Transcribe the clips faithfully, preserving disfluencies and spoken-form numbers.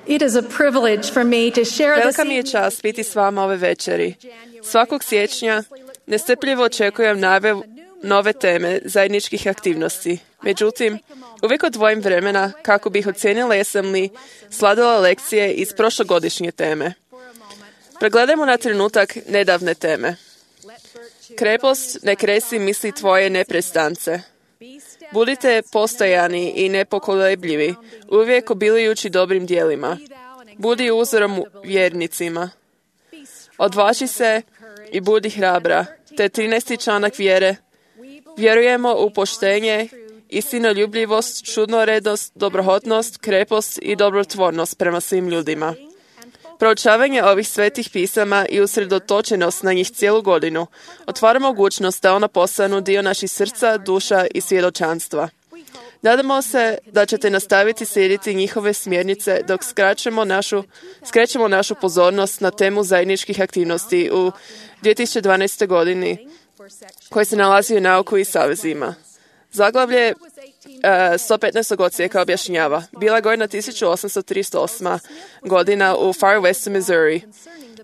It is a privilege for me to share this Velika mi je čast biti s vama ove večeri. Svakog siječnja nestrpljivo očekujem najave nove teme zajedničkih aktivnosti. Međutim, uvijek odvojim vremena kako bih ocijenila jesam li sladila lekcije iz prošlogodišnje teme. Pregledajmo na trenutak nedavne teme. Krepost ne kresi misli tvoje neprestance. Budite postojani i nepokolebljivi, uvijek obilijući dobrim dijelima. Budi uzorom vjernicima. Odvaži se i budi hrabra. Te trinaesti članak vjere. Vjerujemo u poštenje, istinoljubljivost, čudnoredost, dobrohotnost, krepost i dobrotvornost prema svim ljudima. Proučavanje ovih svetih pisama i usredotočenost na njih cijelu godinu otvara mogućnost da ona postanu dio naših srca, duša i svjedočanstva. Nadamo se da ćete nastaviti slijediti njihove smjernice dok skraćemo našu, skrećemo našu pozornost na temu zajedničkih aktivnosti u dvije tisuće dvanaestoj godini koji se nalazi u nauku i savezima. Zaglavlje uh, sto petnaestog odsjeka objašnjava. Bila godina tisuću osamsto trideset osma godina u Far West, Missouri.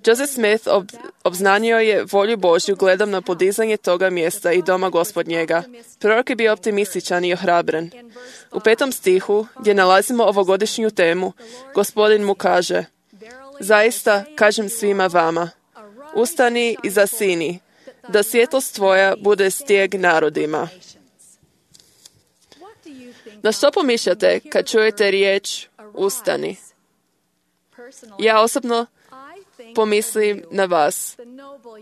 Joseph Smith ob, obznanio je volju Božju gledom na podizanje toga mjesta i doma Gospodnjega. Prorok je bio optimističan i ohrabren. U petom stihu, gdje nalazimo ovogodišnju temu, Gospodin mu kaže: zaista kažem svima vama, ustani i zasini, da svjetlost tvoja bude stijeg narodima. Na što pomišljate kad čujete riječ ustani? Ja osobno pomislim na vas,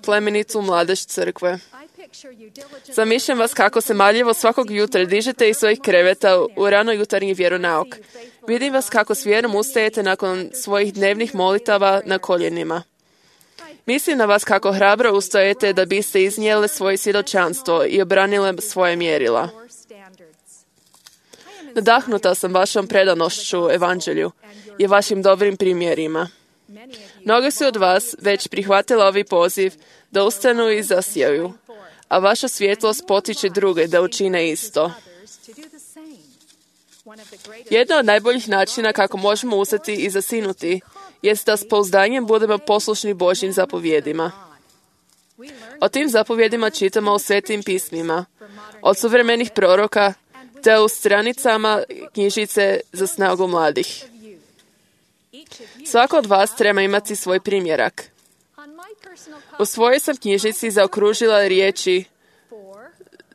plemenicu mladež crkve. Zamišljam vas kako se marljivo svakog jutra dižete iz svojih kreveta u rano jutarnji vjeronauk. Vidim vas kako s vjerom ustajete nakon svojih dnevnih molitava na koljenima. Mislim na vas kako hrabro ustajete da biste iznijeli svoje svjedočanstvo i obranile svoje mjerila. Nadahnuta sam vašom predanošću evanđelju i vašim dobrim primjerima. Mnogi su od vas već prihvatili ovaj poziv da ustanu i zasijaju, a vaša svjetlost potiče druge da učine isto. Jedno od najboljih načina kako možemo ustati i zasinuti jest da s pouzdanjem budemo poslušni Božjim zapovjedima. O tim zapovjedima čitamo u svetim pismima, od suvremenih proroka te u stranicama knjižice za snagu mladih. Svako od vas treba imati svoj primjerak. U svojoj sam knjižici zaokružila riječi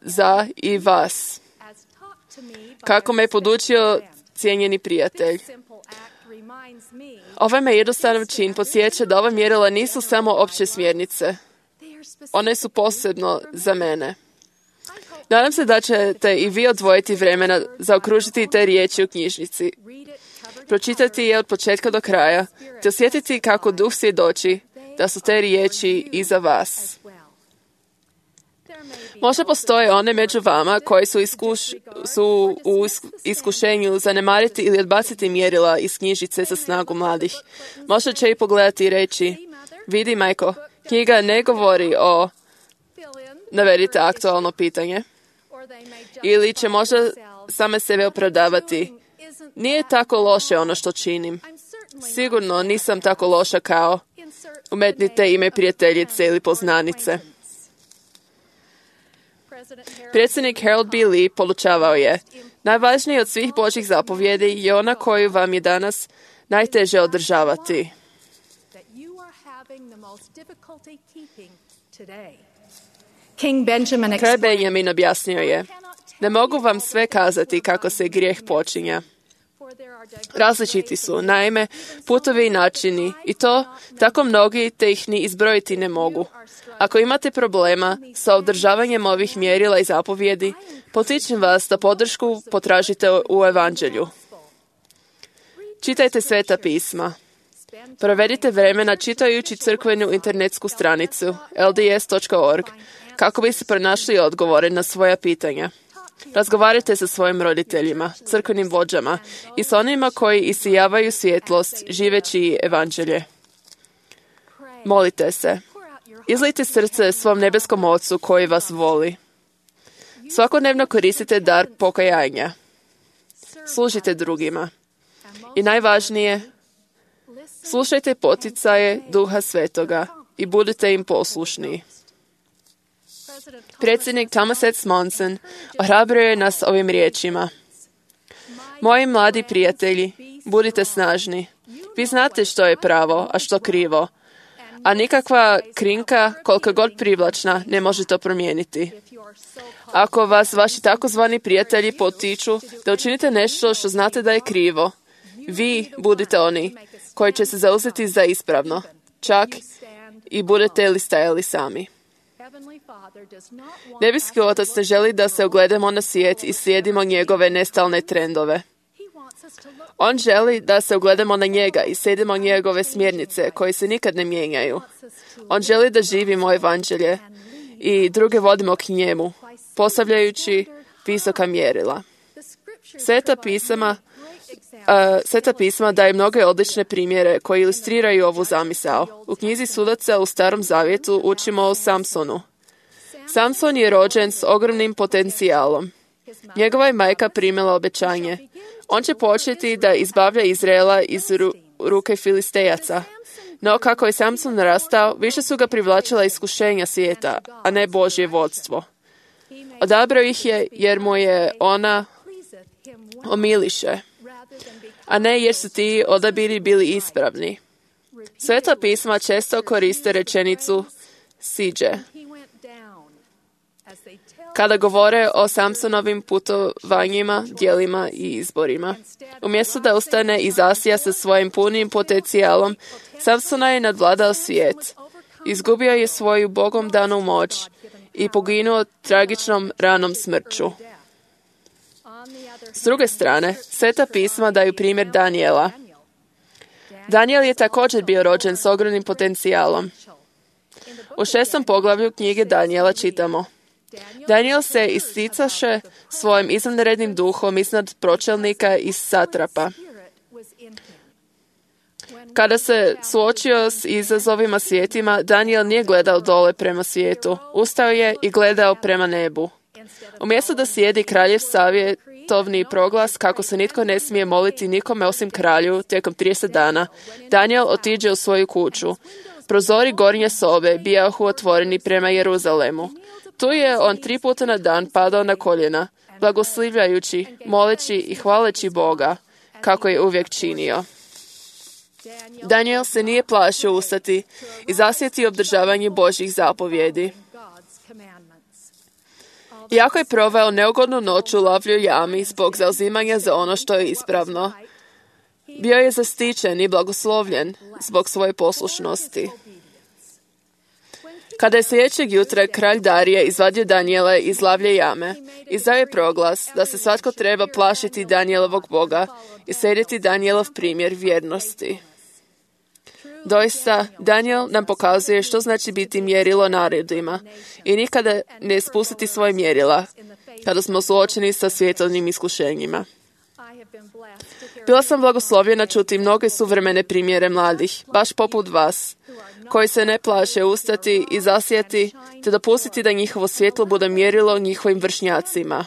za i vas, kako me je podučio cijenjeni prijatelj. Ovaj me jednostavan čin podsjeća da ova mjerila nisu samo opće smjernice. One su posebno za mene. Nadam se da ćete i vi odvojiti vremena zaokružiti te riječi u knjižnici. Pročitati je od početka do kraja, te osjetiti kako duh svjedoči da su te riječi i za vas. Možda postoje one među vama koji su, iskuš, su u iskušenju zanemariti ili odbaciti mjerila iz knjižice za snagu mladih. Možda će i pogledati i reći: vidi, majko, knjiga ne govori o... Navedite aktualno pitanje. Ili će možda same sebe opravdavati: nije tako loše ono što činim. Sigurno nisam tako loša kao... Umetnite ime prijateljice ili poznanice. Predsjednik Harold B. Lee podučavao je: najvažniji od svih Božjih zapovjedi je ona koju vam je danas najteže održavati. Kralj Benjamin objasnio je: ne mogu vam sve kazati kako se grijeh počinja. Različiti su, naime, putovi i načini, i to tako mnogi te ih ni izbrojiti ne mogu. Ako imate problema sa održavanjem ovih mjerila i zapovjedi, potičem vas da podršku potražite u evanđelju. Čitajte sveta pisma. Provedite vremena čitajući crkvenu internetsku stranicu L D S dot org kako biste pronašli odgovore na svoja pitanja. Razgovarajte sa svojim roditeljima, crkvenim vođama i s onima koji isijavaju svjetlost živeći evanđelje. Molite se. Izlijte srce svom nebeskom Ocu koji vas voli. Svakodnevno koristite dar pokajanja. Služite drugima. I najvažnije, Slušajte poticaje Duha Svetoga i budite im poslušni. Predsjednik Thomas S. Monson ohrabruje nas ovim riječima. Moji mladi prijatelji, budite snažni. Vi znate što je pravo, a što krivo. A nikakva krinka, koliko god privlačna, ne može to promijeniti. Ako vas vaši takozvani prijatelji potiču da učinite nešto što znate da je krivo, vi budite oni koji će se zauzeti za ispravno, čak i budete li stajali sami. Nebeski Otac ne želi da se ogledamo na svijet i slijedimo njegove nestalne trendove. On želi da se ogledamo na njega i slijedimo njegove smjernice koje se nikad ne mijenjaju. On želi da živimo evanđelje i druge vodimo k njemu, postavljajući visoka mjerila. Sveta pisama, uh, Sveta pisma daje mnoge odlične primjere koji ilustriraju ovu zamisao. U knjizi Sudaca u Starom Zavjetu učimo o Samsonu. Samson je rođen s ogromnim potencijalom. Njegova je majka primila obećanje. On će početi da izbavlja Izraela iz ru- ruke Filistejaca. No kako je Samson narastao, više su ga privlačila iskušenja svijeta, a ne Božje vodstvo. Odabrao ih je jer mu je ona omiliše, a ne jer su ti odabiri bili ispravni. Sveta pisma često koriste rečenicu siđe kada govore o Samsonovim putovanjima, djelima i izborima. Umjesto da ustane i zasija sa svojim punim potencijalom, Samsona je nadvladao svijet. Izgubio je svoju Bogom danu moć i poginuo tragičnom ranom smrću. S druge strane, Sveta pisma daju primjer Danijela. Danijel je također bio rođen s ogromnim potencijalom. U šestom poglavlju knjige Danijela čitamo: Danijel se isticaše svojim izvanrednim duhom iznad pročelnika i satrapa. Kada se suočio s izazovima svijetima, Danijel nije gledao dole prema svijetu. Ustao je i gledao prema nebu. Umjesto da slijedi kraljev savjetovni proglas kako se nitko ne smije moliti nikome osim kralju tijekom trideset dana, Danijel otiđe u svoju kuću. Prozori gornje sobe bijahu otvoreni prema Jeruzalemu. Tu je on tri puta na dan padao na koljena, blagoslivljajući, moleći i hvaleći Boga, kako je uvijek činio. Danijel se nije plašio ustati i zasjeti obdržavanje Božjih zapovjedi. Iako je proveo neugodnu noć u lavljoj jami zbog zauzimanja za ono što je ispravno, bio je zaštićen i blagoslovljen zbog svoje poslušnosti. Kada je sljedećeg jutra kralj Darije izvadio Danijela iz lavlje jame, izdao je proglas da se svatko treba plašiti Danijelovog Boga i slijediti Danijelov primjer vjernosti. Doista, Danijel nam pokazuje što znači biti mjerilo narodima i nikada ne spustiti svoje mjerila kada smo suočeni sa svjetovnim iskušenjima. Bila sam blagoslovljena čuti mnoge suvremene primjere mladih, baš poput vas, koji se ne plaše ustati i zasjeti te dopustiti da njihovo svjetlo bude mjerilo njihovim vršnjacima.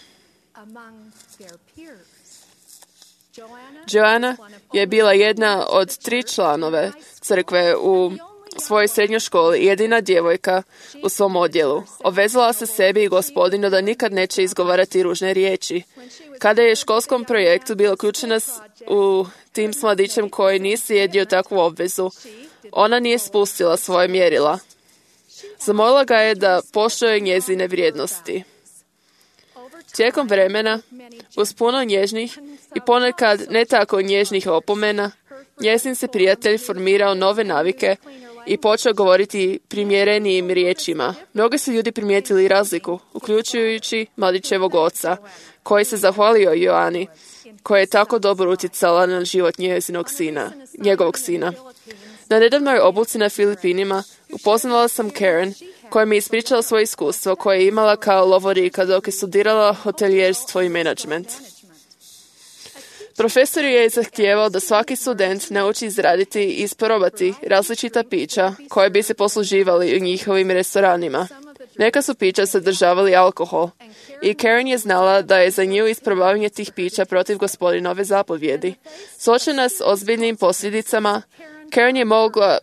Joana je bila jedna od tri članove crkve u svojoj srednjoj školi i jedina djevojka u svom odjelu. Obvezala se sebi i Gospodinu da nikad neće izgovarati ružne riječi. Kada je školskom projektu bila uključena u tim s mladićem koji nije slijedio takvu obvezu, ona nije spustila svoje mjerila. Zamolila ga je da poštuje njezine vrijednosti. Tijekom vremena, uz puno nježnih i ponekad ne tako nježnih opomena, njezin se prijatelj formirao nove navike i počeo govoriti primjerenijim riječima. Mnogi su ljudi primijetili razliku, uključujući mladićevog oca, koji se zahvalio Joani, koja je tako dobro utjecala na život njezinog sina, njegovog sina. Na nedavnoj obuci na Filipinima upoznala sam Karen, koja mi je ispričala svoje iskustvo koje je imala kao lovorika dok je studirala hotelijerstvo i menadžment. Profesor je zahtijevao da svaki student nauči izraditi i isprobati različita pića koje bi se posluživali u njihovim restoranima. Neka su pića sadržavali alkohol i Karen je znala da je za nju isprobavanje tih pića protiv Gospodinove zapovjedi. Suočena s ozbiljnim posljedicama, Karen je mogla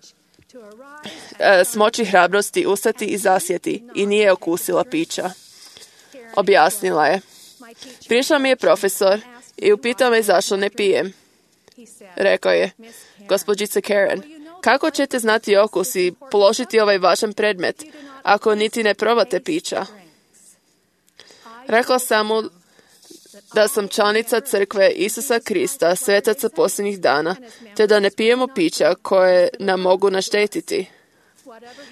e, smoći hrabrosti, ustati i zasjeti i nije okusila pića. Objasnila je. Prišao mi je profesor i upitao me zašto ne pijem. Rekao je, gospođice Karen, kako ćete znati okus i položiti ovaj važan predmet ako niti ne probate pića? Rekla sam mu da sam članica crkve Isusa Krista, svetaca posljednjih dana, te da ne pijemo pića koje nam mogu naštetiti.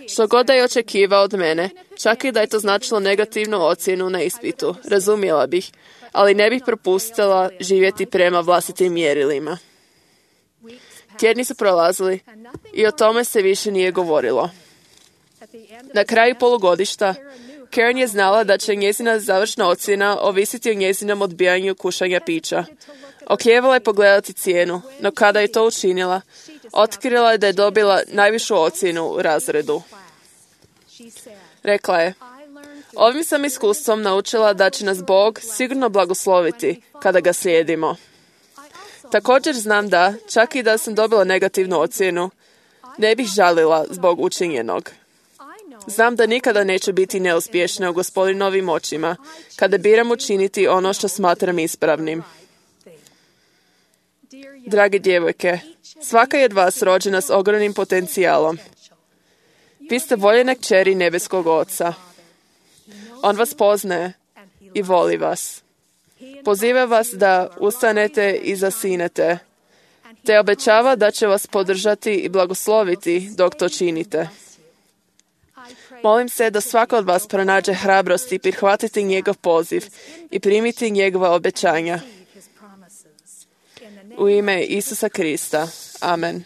Što god da je očekivao od mene, čak i da je to značilo negativnu ocjenu na ispitu, razumjela bih, ali ne bih propustila živjeti prema vlastitim mjerilima. Tjedni su prolazili i o tome se više nije govorilo. Na kraju polugodišta, Karen je znala da će njezina završna ocjena ovisiti o njezinom odbijanju kušanja pića. Okljevala je pogledati cijenu, no kada je to učinila, otkrila je da je dobila najvišu ocjenu u razredu. Rekla je, ovim sam iskustvom naučila da će nas Bog sigurno blagosloviti kada ga slijedimo. Također znam da, čak i da sam dobila negativnu ocjenu, ne bih žalila zbog učinjenog. Znam da nikada neću biti neuspješna u Gospodinovim očima kada biram učiniti ono što smatram ispravnim. Drage djevojke, svaka je od vas rođena s ogromnim potencijalom. Vi ste voljene kćeri nebeskog Oca. On vas poznaje i voli vas. Poziva vas da ustanete i zasinete, te obećava da će vas podržati i blagosloviti dok to činite. Molim se da svako od vas pronađe hrabrosti prihvatiti njegov poziv i primiti njegova obećanja. U ime Isusa Krista. Amen.